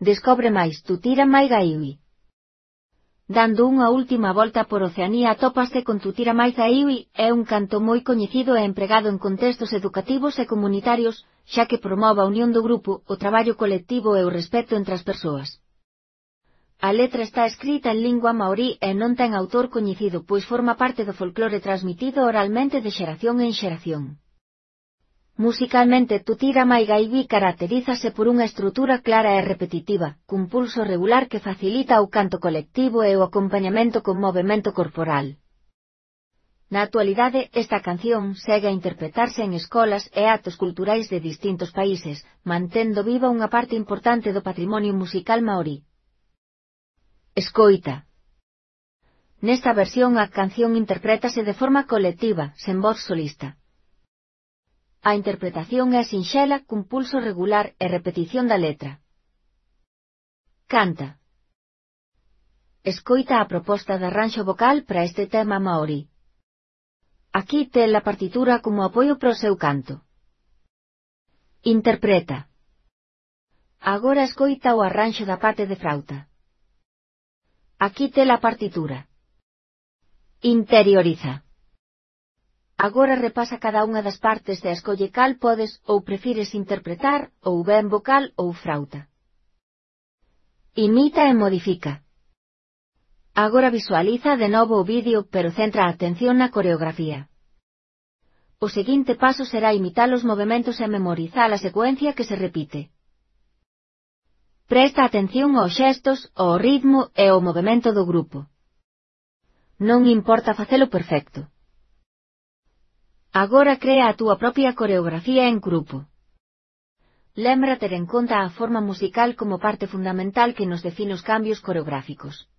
Descobre máis Tutira Mai Gaiwi. Dando unha última volta por Oceanía atópase con Tutira Mai Gaiwi, é un canto moi coñecido e empregado en contextos educativos e comunitarios, xa que promove a unión do grupo, o traballo colectivo e o respeto entre as persoas. A letra está escrita en lingua maorí e non ten autor coñecido pois forma parte do folclore transmitido oralmente de xeración en xeración. Musicalmente Tutira Mai Gaiwi caracterízase por unha estrutura clara e repetitiva, cun pulso regular que facilita o canto colectivo e o acompañamento con movemento corporal. Na actualidade, esta canción segue a interpretarse en escolas e actos culturais de distintos países, mantendo viva unha parte importante do patrimonio musical maorí. Escoita. Nesta versión a canción interprétase de forma colectiva, sen voz solista. A interpretación é sinxela, cun pulso regular e repetición da letra. Canta. Escoita a proposta de arranxo vocal para este tema maorí. Aquí ten a partitura como apoio para o seu canto. Interpreta. Agora escoita o arranxo da parte de frauta. Aquí ten a partitura. Interioriza. Agora repasa cada unha das partes e escolle cal podes ou prefires interpretar, ou ben vocal ou frauta. Imita e modifica. Agora visualiza de novo o vídeo pero centra a atención na coreografía. O seguinte paso será imitar os movementos e memorizar a secuencia que se repite. Presta atención aos xestos, ao ritmo e ao movemento do grupo. Non importa facelo perfecto. Agora crea a túa propia coreografía en grupo. Lembra ter en conta a forma musical como parte fundamental que nos define os cambios coreográficos.